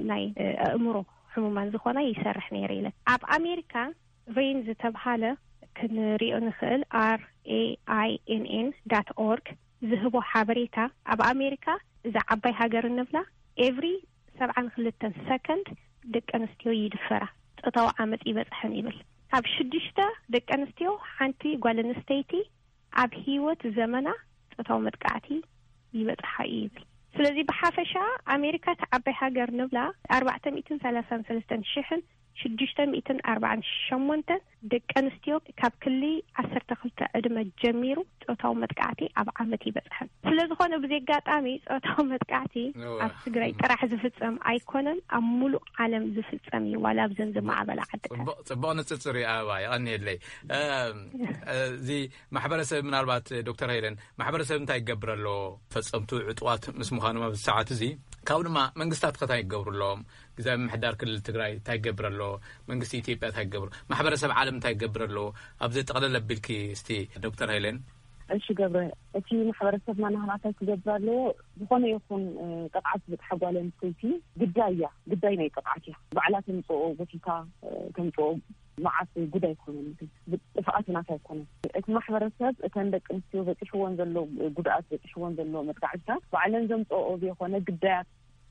ናይ፣ እ፣ ኣእምሮ ሕሙማን ዝኾና ይሰርሕ ነይረ ኢለ። ኣብ ኣሜሪካ ሬን ዝተብሃለ ክንሪኦ ንኽእል፣ R A I N N dot org ዝህቦ ሓበሬታ፣ ኣብ ኣሜሪካ እዛ ዓባይ ሃገር እንብላ ኤቭሪ ሰብዓን ክልተን ሰከንድ ደቂ ኣንስትዮ ይድፈራ፣ ጾታዊ ዓመጽ ይበጽሐን ይብል። ካብ ሽዱሽተ ደቂ ኣንስትዮ ሓንቲ ጓል ኣንስተይቲ ኣብ ህይወት ዘመና ጾታዊ መጥቃዕቲ ይበጽሓ እዩ ይብል። ስለዚ ብሓፈሻ ኣሜሪካ እታ ዓባይ ሃገር ንብላ ኣርባዕተ ሚእትን ሰላሳን ሰለስተን ሽሕን ሽዱሽተ ሚእትን ኣርባዓን ሸሞንተን ደቂ ኣንስትዮ ካብ ክሊ ዓሰርተ ክልተ ዕድመ ጀሚሩ ጾታዊ መጥቃዕቲ ኣብ ዓመት ይበጽሐን። ስለ ዝኾነ ብዚ ኣጋጣሚ ጾታዊ መጥቃዕቲ ኣብ ትግራይ ጥራሕ ዝፍጸም ኣይኮነን፣ ኣብ ሙሉእ ዓለም ዝፍጸም እዩ፣ ዋላ ኣብዘን ዝማዕበላ ዓድታት። ጽቡቕ ንጽጽር እዩ። ኣበባ የቐንየለይ። እዚ ማሕበረሰብ ምናልባት ዶክተር ሄለን ማሕበረሰብ እንታይ ይገብር ኣሎ? ፈጸምቱ ዕጡዋት ምስ ምዃኖም ኣብዚ ሰዓት እዚ ካብኡ ድማ መንግስታት ከ እንታይ ይገብሩ ኣለዎም? ግዛዊ ምሕዳር ክልል ትግራይ እንታይ ይገብር ኣሎ? መንግስቲ ኢትዮጵያ እንታይ ይገብሩ? ማሕበረሰብ ዓለም እንታይ ይገብር ኣሎ? ኣብዚ ጠቕለል ኣቢልኪ እስቲ ዶክተር ሄለን። እሺ ገብረ፣ እቲ ማሕበረሰብና ናህና እንታይ ክገብር ኣለዎ? ዝኾነ ይኹን ጥቕዓት ዝበፅሓ ጓል ኣንስተይቲ ግዳይ እያ፣ ግዳይ ናይ ጥቕዓት እያ። ባዕላ ተምፅኦ ጎቲታ ተምፅኦ መዓት ጉዳይ ኣይኮነን፣ ጥፍኣት ናት ኣይኮነን። እቲ ማሕበረሰብ እተን ደቂ ኣንስትዮ በፂሕዎን ዘሎ ጉድኣት በፂሕዎን ዘሎ መጥቃዕትታት ባዕለን ዘምፅኦ ዘይኮነ ግዳያት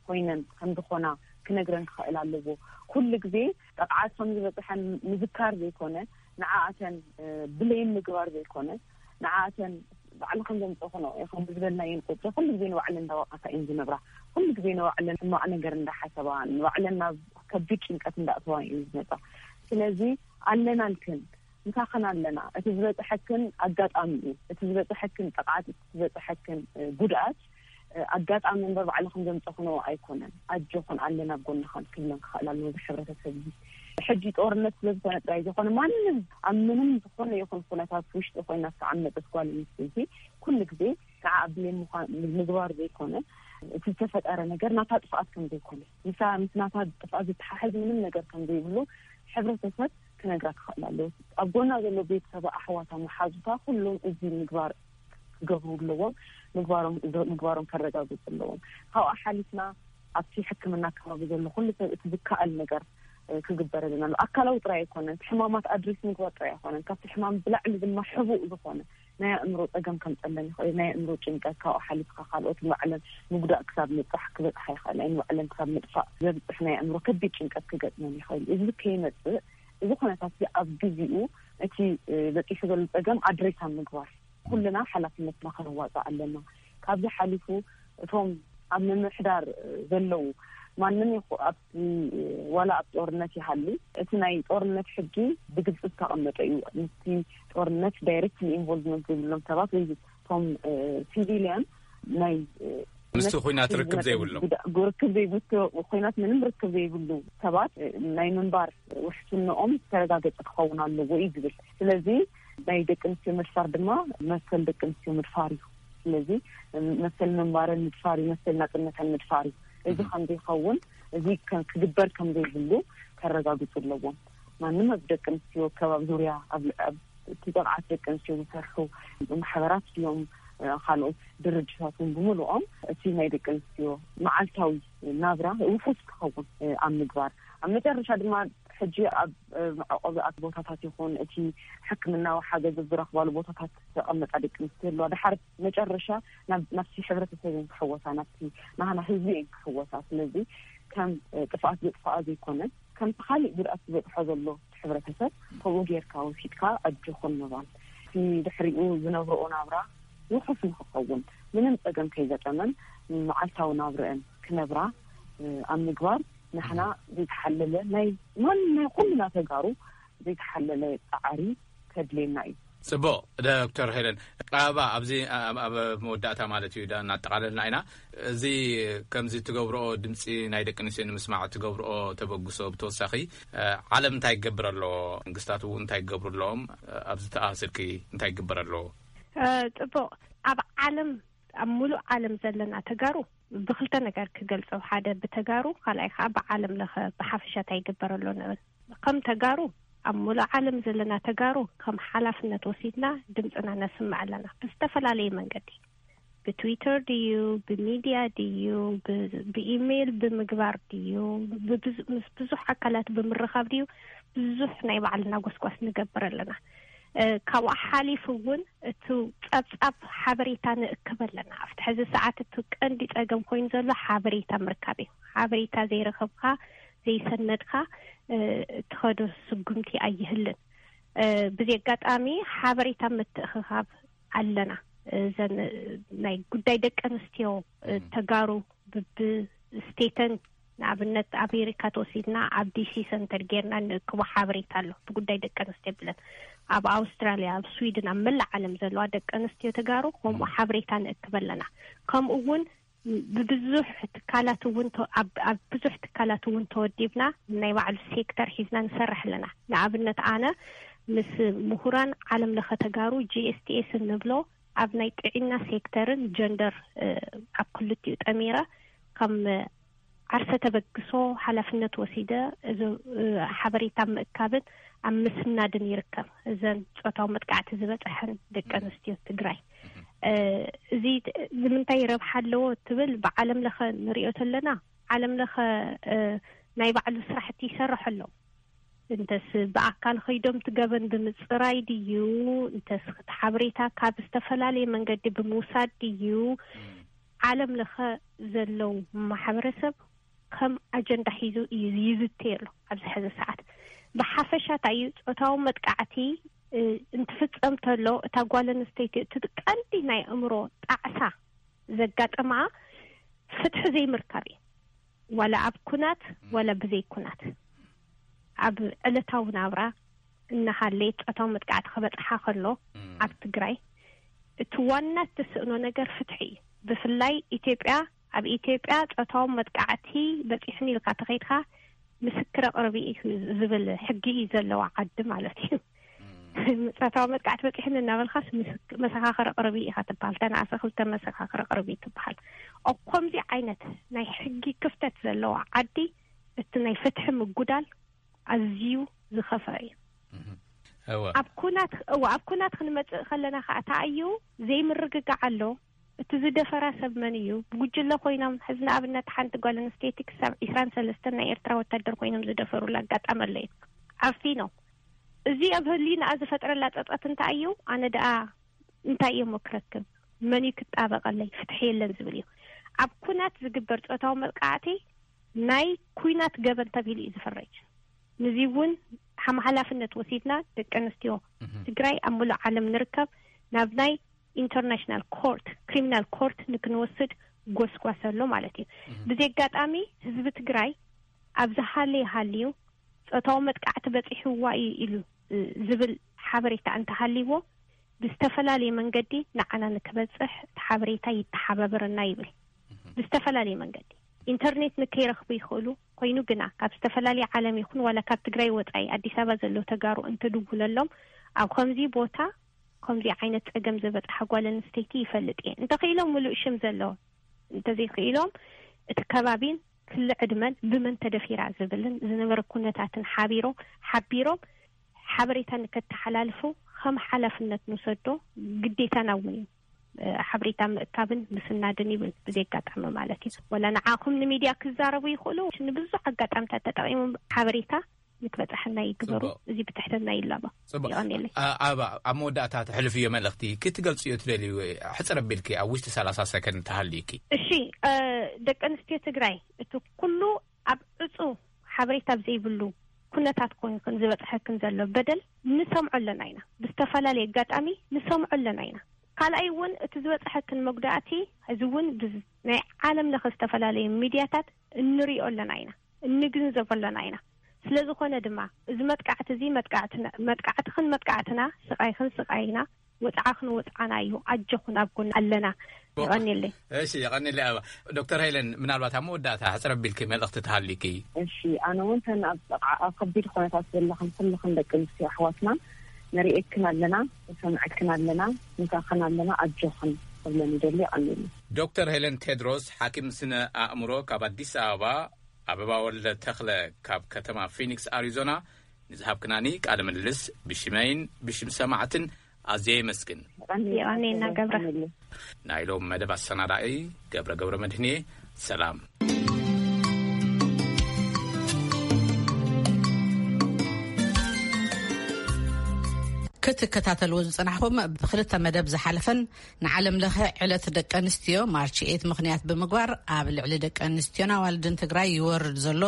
ኮይነን ከም ዝኾና ክነግረን ክኽእል ኣለዎ። ኩሉ ግዜ ጥቕዓት ከም ዝበፅሐን ምዝካር ዘይኮነ ንዓኣተን ብሌም ምግባር ዘይኮነ ንዓኣተን ባዕልኽን ዘምፅእኽንኦ ኢኽን ብዝበልናየን ቁፅሪ ኩሉ ግዜ ንባዕለን እንዳወቐሳ እየን ዝነብራ። ኩሉ ግዜ ንባዕለን ሕማቕ ነገር እንዳሓሰባ ንባዕለን ናብ ከቢድ ጭንቀት እንዳእተዋ እየን ዝመፃ። ስለዚ ኣለናልክን ምሳኽን ኣለና። እቲ ዝበፅሐክን ኣጋጣሚ እዩ። እቲ ዝበፅሐክን ጥቕዓት እቲ ዝበፅሐክን ጉድኣት ኣጋጣሚ እምበር ባዕልኽን ዘምፀኽንኦ ኣይኮነን። ኣጆኽን ኣለና ኣብ ጎንኽን ክብለን ክኽእል ኣለዎ እዚ ሕብረተሰብ እዚ። ሕጂ ጦርነት ስለ ዝኾነ ጥራይ ዝኾነ ማንም ኣብ ምንም ዝኾነ ይኹን ኩነታት ውሽጢ ኮይና ዝተዓመጠት ጓል ኣንስተይቲ ኩሉ ግዜ ከዓ ብሌም ምግባር ዘይኮነ እቲ ዝተፈጠረ ነገር ናታ ጥፍኣት ከም ዘይኮነ ምሳ ምስ ናታ ጥፍኣት ዝተሓሕዝ ምንም ነገር ከም ዘይብሉ ሕብረተሰብ ክነግራ ክኽእል ኣለዎ። ኣብ ጎና ዘሎ ቤተሰብ ኣሕዋታ መሓዙታ ኩሎም እዚ ምግባር ክገብሩ ኣለዎም። ምግባሮም ከረጋግፁ ኣለዎም። ካብኣ ሓሊፍና ኣብቲ ሕክምና ከባቢ ዘሎ ኩሉ ሰብ እቲ ዝከኣል ነገር ክግበረልና ኣሎ። ኣካላዊ ጥራይ ኣይኮነን፣ እቲ ሕማማት ኣድሬስ ምግባር ጥራይ ኣይኮነን፣ ካብቲ ሕማም ብላዕሊ ድማ ሕቡእ ዝኾነ ናይ ኣእምሮ ፀገም ከምፀለን ይኽእል። ናይ ኣእምሮ ጭንቀት ካብኡ ሓሊፍካ ካልኦት ንባዕለን ምጉዳእ ክሳብ ምብፃሕ ክበፅሓ ይኽእል። ናይ ንባዕለን ክሳብ ምጥፋእ ዘብፅሕ ናይ ኣእምሮ ከቢድ ጭንቀት ክገጥመን ይኽእል። እዚ ከይመፅእ እዚ ኩነታት እዚ ኣብ ግዜኡ እቲ በፂሑ ዘሎ ፀገም ኣድሬስ ኣብ ምግባር ኩልና ሓላፍነትና ክንዋፃእ ኣለና። ካብዚ ሓሊፉ እቶም ኣብ ምምሕዳር ዘለዉ ማንም ይኹ ኣብቲ ዋላ ኣብ ጦርነት ይሃሉ እቲ ናይ ጦርነት ሕጊ ብግልፂ ዝተቐመጠ እዩ። ምስቲ ጦርነት ዳይሬክት ኢንቮልቭመንት ዘይብሎም ሰባት ወይ እቶም ሲቪሊያን ናይ ምስቲ ኩናት ርክብ ዘይብሎም ርክብ ዘይብሉ ኩናት ምንም ርክብ ዘይብሉ ሰባት ናይ ምንባር ውሕስንኦም ዝተረጋገፀ ክኸውን ኣለዎ እዩ ዝብል። ስለዚ ናይ ደቂ ኣንስትዮ ምድፋር ድማ መሰል ደቂ ኣንስትዮ ምድፋር እዩ። ስለዚ መሰል ምንባረን ምድፋር እዩ፣ መሰል ናፅነተን ምድፋር እዩ። እዚ ከም ዘይኸውን እዚ ክግበር ከም ዘይብሉ ከረጋግፁ ኣለዎም። ማንም ኣብ ደቂ ኣንስትዮ ከባቢ ዙርያ ኣብ እቲ ጥቕዓት ደቂ ኣንስትዮ ዝሰርሑ ማሕበራት ድዮም ካልኦት ድርጅታት እውን ብምልኦም እቲ ናይ ደቂ ኣንስትዮ መዓልታዊ ናብራ ውሑስ ክኸውን ኣብ ምግባር ኣብ መጨረሻ ድማ ሕጂ ኣብ መዕቆቢ ቦታታት ይኹን እቲ ሕክምናዊ ሓገዝ ዝረኽባሉ ቦታታት ዝተቐመጣ ደቂ ኣንስትዮ ኣለዋ። ድሓር መጨረሻ ናብቲ ሕብረተሰብ እየን ክሕወሳ፣ ናብቲ ናህና ህዝቢ እየን ክሕወሳ። ስለዚ ከም ጥፍኣት ዘጥፍኣ ዘይኮነን ከምቲ ካሊእ ጉድኣት ዝበፅሖ ዘሎ ሕብረተሰብ ከምኡ ጌርካ ወሲድካ ኣጆኹን ምባል እቲ ድሕሪኡ ዝነብርኦ ናብራ ውሑስ ንክኸውን ምንም ፀገም ከይገጠመን መዓልታዊ ናብርአን ክነብራ ኣብ ምግባር ንሕና ዘይተሓለለ ናይ ማን ናይ ኩልና ተጋሩ ዘይተሓለለ ፃዕሪ ከድልየና እዩ። ፅቡቕ። ዶክተር ሄለን ቀረባ ኣብዚ ኣብ መወዳእታ ማለት እዩ እናጠቓለልና ኢና። እዚ ከምዚ ትገብርኦ ድምፂ ናይ ደቂ ኣንስትዮ ንምስማዕ ትገብርኦ ተበግሶ ብተወሳኺ ዓለም እንታይ ይገብር ኣሎ መንግስታት እውን እንታይ ይገብሩ ኣለዎም ኣብዚ ተኣስርኪ እንታይ ይግበር ኣለዎ? ፅቡቕ። ኣብ ዓለም ኣብ ሙሉእ ዓለም ዘለና ተጋሩ ብክልተ ነገር ክገልፆ ሓደ ብተጋሩ ካልኣይ ከዓ ብዓለም ለኸ ብሓፈሻ እንታይ ይግበር ኣሎ ንብል። ከም ተጋሩ ኣብ ሙሉእ ዓለም ዘለና ተጋሩ ከም ሓላፍነት ወሲድና ድምፅና ነስምዕ ኣለና ብዝተፈላለየ መንገዲ ብትዊተር ድዩ ብሚድያ ድዩ ብኢሜይል ብምግባር ድዩ ምስ ብዙሕ ኣካላት ብምርኻብ ድዩ ብዙሕ ናይ ባዕልና ጎስጓስ ንገብር ኣለና። ካብኡ ሓሊፉ እውን እቲ ፀብፃብ ሓበሬታ ንእክብ ኣለና ኣብቲ ሕዚ ሰዓት እቲ ቀንዲ ፀገም ኮይኑ ዘሎ ሓበሬታ ምርካብ እዩ። ሓበሬታ ዘይረኸብካ ዘይሰነድካ ትኸዶ ስጉምቲ ኣይህልን። ብዚ ኣጋጣሚ ሓበሬታ ምትእኽኻብ ኣለና። እዘን ናይ ጉዳይ ደቂ ኣንስትዮ ተጋሩ ብብስቴተን፣ ንኣብነት ኣሜሪካ ተወሲድና ኣብ ዲሲ ሰንተር ጌርና ንእክቦ ሓበሬታ ኣሎ። ብጉዳይ ደቂ ኣንስትዮ ብለን ኣብ ኣውስትራልያ፣ ኣብ ስዊድን፣ ኣብ መላእ ዓለም ዘለዋ ደቂ ኣንስትዮ ተጋሩ ከምኡ ሓበሬታ ንእክብ ኣለና። ከምኡ እውን ብብዙሕ ትካላት እውን ተ- ኣብ ኣብ ብዙሕ ትካላት እውን ተወዲብና ናይ ባዕሉ ሴክተር ሒዝና ንሰርሕ ኣለና። ንኣብነት ኣነ ምስ ምሁራን ዓለም ለኸ ተጋሩ ጂ ኤስ ቲ ኤስ እንብሎ ኣብ ናይ ጥዕና ሴክተርን ጀንደር ኣብ ክልቲኡ ጠሚረ ከም ዓርሰ ተበግሶ ሓላፍነት ወሲደ እዚ ሓበሬታ ምእካብን ኣብ ምስናድን ይርከብ። እዘን ጾታዊ መጥቃዕቲ ዝበፅሐን ደቂ ኣንስትዮ ትግራይ እዚ ንምንታይ ረብሓ ኣለዎ ትብል ብዓለም ለኸ ንሪኦ ተለና ዓለም ለኸ ናይ ባዕሉ ስራሕቲ ይሰርሕ ኣሎ። እንተስ ብኣካል ኸይዶም ትገበን ብምፅራይ ድዩ፣ እንተስ እቲ ሓበሬታ ካብ ዝተፈላለየ መንገዲ ብምውሳድ ድዩ፣ ዓለም ለኸ ዘለው ማሕበረሰብ ከም ኣጀንዳ ሒዙ እዩ ይዝተየሉ ኣብዚ ሕዚ ሰዓት። ብሓፈሻ እንታይ እዩ ፆታዊ መጥቃዕቲ እንትፍፀም ተሎ እታ ጓል ኣንስተይቲ እቲ ቀንዲ ናይ ኣእምሮ ጣዕሳ ዘጋጠማ ፍትሒ ዘይምርካብ እዩ። ዋላ ኣብ ኩናት ዋላ ብዘይ ኩናት ኣብ ዕለታዊ ናብራ እናሃለየ ፆታዊ መጥቃዕቲ ክበፅሓ ከሎ ኣብ ትግራይ እቲ ዋና እትስእኖ ነገር ፍትሒ እዩ። ብፍላይ ኢትዮጵያ ኣብ ኢትዮጵያ ፆታዊ መጥቃዕቲ በፂሑን ኢልካ ተኸይድካ ምስክር ኣቕርቢ እዩ ዝብል ሕጊ እዩ ዘለዋ ዓዲ ማለት እዩ። ፆታዊ መጥቃዕቲ በፂሑን እናበልካስ መሰኻኽር ኣቕርቢ ኢኻ ትበሃል። ተነኣሰ ክልተ መሰኻኽር ኣቕርቢ ትበሃል። ኣብ ከምዚ ዓይነት ናይ ሕጊ ክፍተት ዘለዋ ዓዲ እቲ ናይ ፍትሒ ምጉዳል ኣዝዩ ዝኸፍአ እዩ። ኣብ ኩናት እዋ ኣብ ኩናት ክንመፅእ ከለና ከዓ ተኣዩ ዘይምርግጋዕ ኣሎ። እቲ ዝደፈራ ሰብ መን እዩ? ብጉጅለ ኮይኖም ሕዚ ንኣብነት ሓንቲ ጓል ኣንስተይቲ ክሳብ ዒስራን ሰለስተን ናይ ኤርትራ ወታደር ኮይኖም ዝደፈሩላ ኣጋጣሚ ኣሎ እዩ። ዓፊኖም እዚ ኣብ ህሊናኣ ዝፈጥረላ ፀፀት እንታይ እዩ? ኣነ ደኣ እንታይ እየ ክረክብ? መን እዩ ክጣበቐለይ? ፍትሒ የለን ዝብል እዩ። ኣብ ኩናት ዝግበር ፆታዊ መጥቃዕቲ ናይ ኩናት ገበን ተቢሉ እዩ ዝፈረጅ። ንዚ እውን ሓም ሓላፍነት ወሲድና ደቂ ኣንስትዮ ትግራይ ኣብ ሙሉእ ዓለም ንርከብ ናብ ናይ ኢንተርናሽናል ኮርት ክሪሚናል ኮርት ንክንወስድ ጎስጓስ ኣሎ ማለት እዩ። ብዚ ኣጋጣሚ ህዝቢ ትግራይ ኣብ ዝሃለየ ሃልዩ ፆታዊ መጥቃዕቲ በፂሕዋ እዩ ኢሉ ዝብል ሓበሬታ እንተሃልይዎ ብዝተፈላለየ መንገዲ ንዓና ንክበፅሕ እቲ ሓበሬታ ይተሓባበረና ይብል። ብዝተፈላለየ መንገዲ ኢንተርኔት ንከይረኽቡ ይኽእሉ ኮይኑ ግና ካብ ዝተፈላለየ ዓለም ይኹን ዋላ ካብ ትግራይ ወፃኢ ኣዲስ ኣበባ ዘለዉ ተጋሩ እንትድውለሎም ኣብ ከምዚ ቦታ ከምዚ ዓይነት ፀገም ዝበፅሓ ጓል ኣንስተይቲ ይፈልጥ እየ እንተኽኢሎም ሙሉእ ሽም ዘለዎ እንተዘይክኢሎም እቲ ከባቢን ክሊ ዕድመን ብመን ተደፊራ ዝብልን ዝነበረ ኩነታትን ሓቢሮም ሓቢሮም ሓበሬታ ንከተሓላልፉ ከም ሓላፍነት ንውሰዶ ግዴታና እውን እዩ። ሓበሬታ ምእካብን ምስናድን ይብል ብዘጋጣሚ ማለት እዩ። ወላ ንዓኹም ንሚድያ ክዛረቡ ይኽእሉ ንብዙሕ ኣጋጣምታት ተጠቂሞም ሓበሬታ ንክበፅሐና ይግበሩ። እዚ ብትሕትና ይላባ። ጽቡቅ። ይቐንየለይ። ኣብ መወዳእታ ተሕልፍዮ መልእኽቲ ክትገልጽዮ ትደልዩ? ሕፅር ኣቢልኪ ኣብ ውሽጢ ሰላሳ ሰከንድ ተሃልዩኪ። እሺ፣ ደቂ ኣንስትዮ ትግራይ እቲ ኩሉ ኣብ ዕፁ ሓበሬታ ኣብ ዘይብሉ ኩነታት ኮይንክን ዝበፅሐክን ዘሎ በደል ንሰምዖ ኣለና ኢና። ብዝተፈላለየ ኣጋጣሚ ንሰምዖ ኣለና ኢና። ካልኣይ እውን እቲ ዝበፅሐክን መጉዳእቲ እዚ እውን ናይ ዓለም ለኸ ዝተፈላለዩ ሚድያታት እንሪኦ ኣለና ኢና፣ እንግንዘቦ ኣለና ኢና። ስለዝኾነ ድማ እዚ መጥቃዕቲ እዚ መጥቃዕትና መጥቃዕትኽን መጥቃዕትና፣ ስቃይኽን ስቃይና፣ ወፅዓኽን ወፅዓና እዩ። ኣጆኹን ኣብ ጎና ኣለና። የቐንየለይ። እሺ፣ የቐንየለይ ኣበባ። ዶክተር ሄለን፣ ምናልባት ኣብ መወዳእታ ሕፅር ኣቢልኪ መልእኽቲ ተሃልዩኪ? እሺ፣ ኣነ እውን ተን ኣብ ጥቓ ኣብ ከቢድ ኩነታት ዘለኽን ኩልኽን ደቂ ኣንስትዮ ኣሕዋትና ንርእየክን ኣለና፣ ንሰምዐክን ኣለና፣ ምሳኽን ኣለና፣ ኣጆኽን ክብለን ይደሊ። የቐንየለይ። ዶክተር ሄለን ቴድሮስ፣ ሓኪም ስነ ኣእምሮ ካብ ኣዲስ ኣበባ፣ ኣበባ ወልደ ተኽለ ካብ ከተማ ፊኒክስ ኣሪዞና፣ ንዝሃብክናኒ ቃለ ምልልስ ብሽመይን ብሽም ሰማዕትን ኣዝየ የመስግን። የቐንየና ገብረ። ናይ ሎም መደብ ኣሰናዳኢ ገብረ ገብረ መድህንየ። ሰላም። ክትከታተልዎ ዝጸናሕኩም ብክልተ መደብ ዝሓለፈን ንዓለም ለኸ ዕለት ደቂ ኣንስትዮ ማርች ኤት ምኽንያት ብምግባር ኣብ ልዕሊ ደቂ ኣንስትዮን ኣዋልድን ትግራይ ይወርድ ዘሎ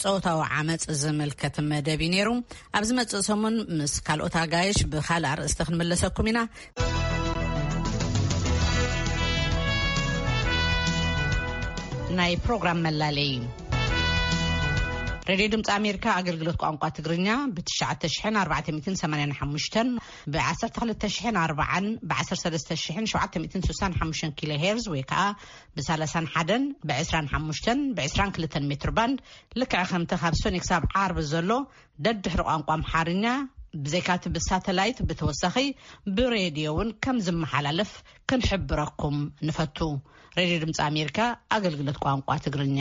ጾታዊ ዓመጽ ዝምልከት መደብ እዩ ነይሩ። ኣብ ዝመጽእ ሰሙን ምስ ካልኦት ኣጋይሽ ብኻልእ ኣርእስቲ ክንምለሰኩም ኢና። ናይ ፕሮግራም መላለይ። ሬድዮ ድምፂ ኣሜሪካ ኣገልግሎት ቋንቋ ትግርኛ ብ ትሽዓተ ሽሕን ኣርባዕተ ሚእትን ሰማንያን ሓሙሽተን፣ ብ ዓሰርተ ክልተ ሽሕን ኣርባዓን፣ ብ ዓሰርተ ሰለስተ ሽሕን ሸውዓተ ሚእትን ስሳን ሓሙሽተን ኪሎ ሄርዝ ወይ ከዓ ብ ሰላሳን ሓደን፣ ብ ዕስራን ሓሙሽተን፣ ብ ዕስራን ክልተን ሜትር ባንድ፣ ልክዕ ከምቲ ካብ ሶኒ ክሳብ ዓርቢ ዘሎ ደድሕሪ ቋንቋ ኣምሓርኛ፣ ብዘይካቲ ብሳተላይት ብተወሳኺ ብሬድዮ እውን ከም ዝመሓላለፍ ክንሕብረኩም ንፈቱ። ሬድዮ ድምፂ ኣሜሪካ ኣገልግሎት ቋንቋ ትግርኛ።